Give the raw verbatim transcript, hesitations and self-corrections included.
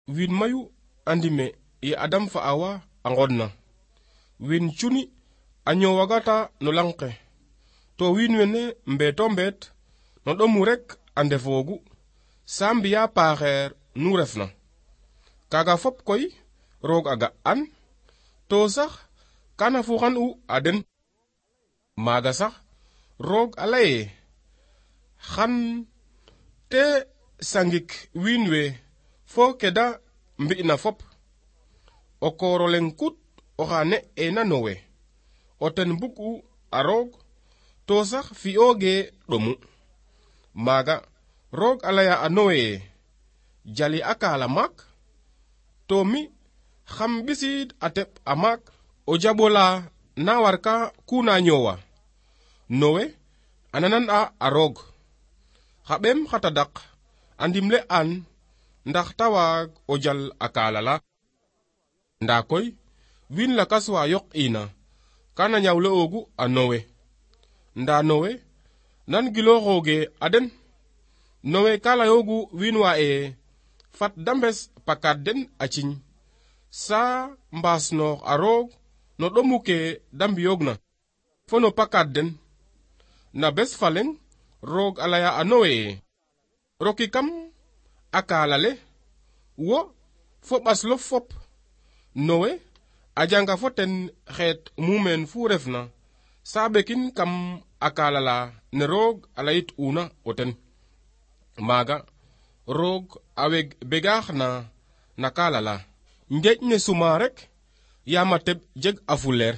Win mayu andime ye Adam fa Awa angodna. Win chuni anyo wagata no lanke. To win wene mbeto mbet no domurek andefogu. Sambia paher nu refna. Kaga fop koy rog aga an. To sax kana fuxan u aden. Maga sax rog alaye. Xan te sangik winwe fo keda mbi na fop. O korolen kut oxane ena nowe. O ten buku a rog to sax fioge domu. Maga rog alaya a nowe jali akala mak. To mi xam bisid atep amak o jabola na warka kuna nyowa. Nowe ananan a a rog. Xabem xatadak andimle an ndax tawag o jal akala la. Nda koy win la kaswa yok ina kana nyawle ogu a nowe. Nda nowe nan gilo hoge aden. Nowe kala yogu winwa e fat dambes pakad den achin. Sa mbas no a rog no domuke dambi yogna. Fono pakad den. Na bes faleng rog alaya a nowe. Roki kam akala le. Wo fo baslo fop. Nowe ajanga foten xet mumen fu refna. Sabekin kam akala la ne rog alayit una oten. Maga rog aweg begaax na nakala la. Njej ne suma rek yamateb jeg afuler.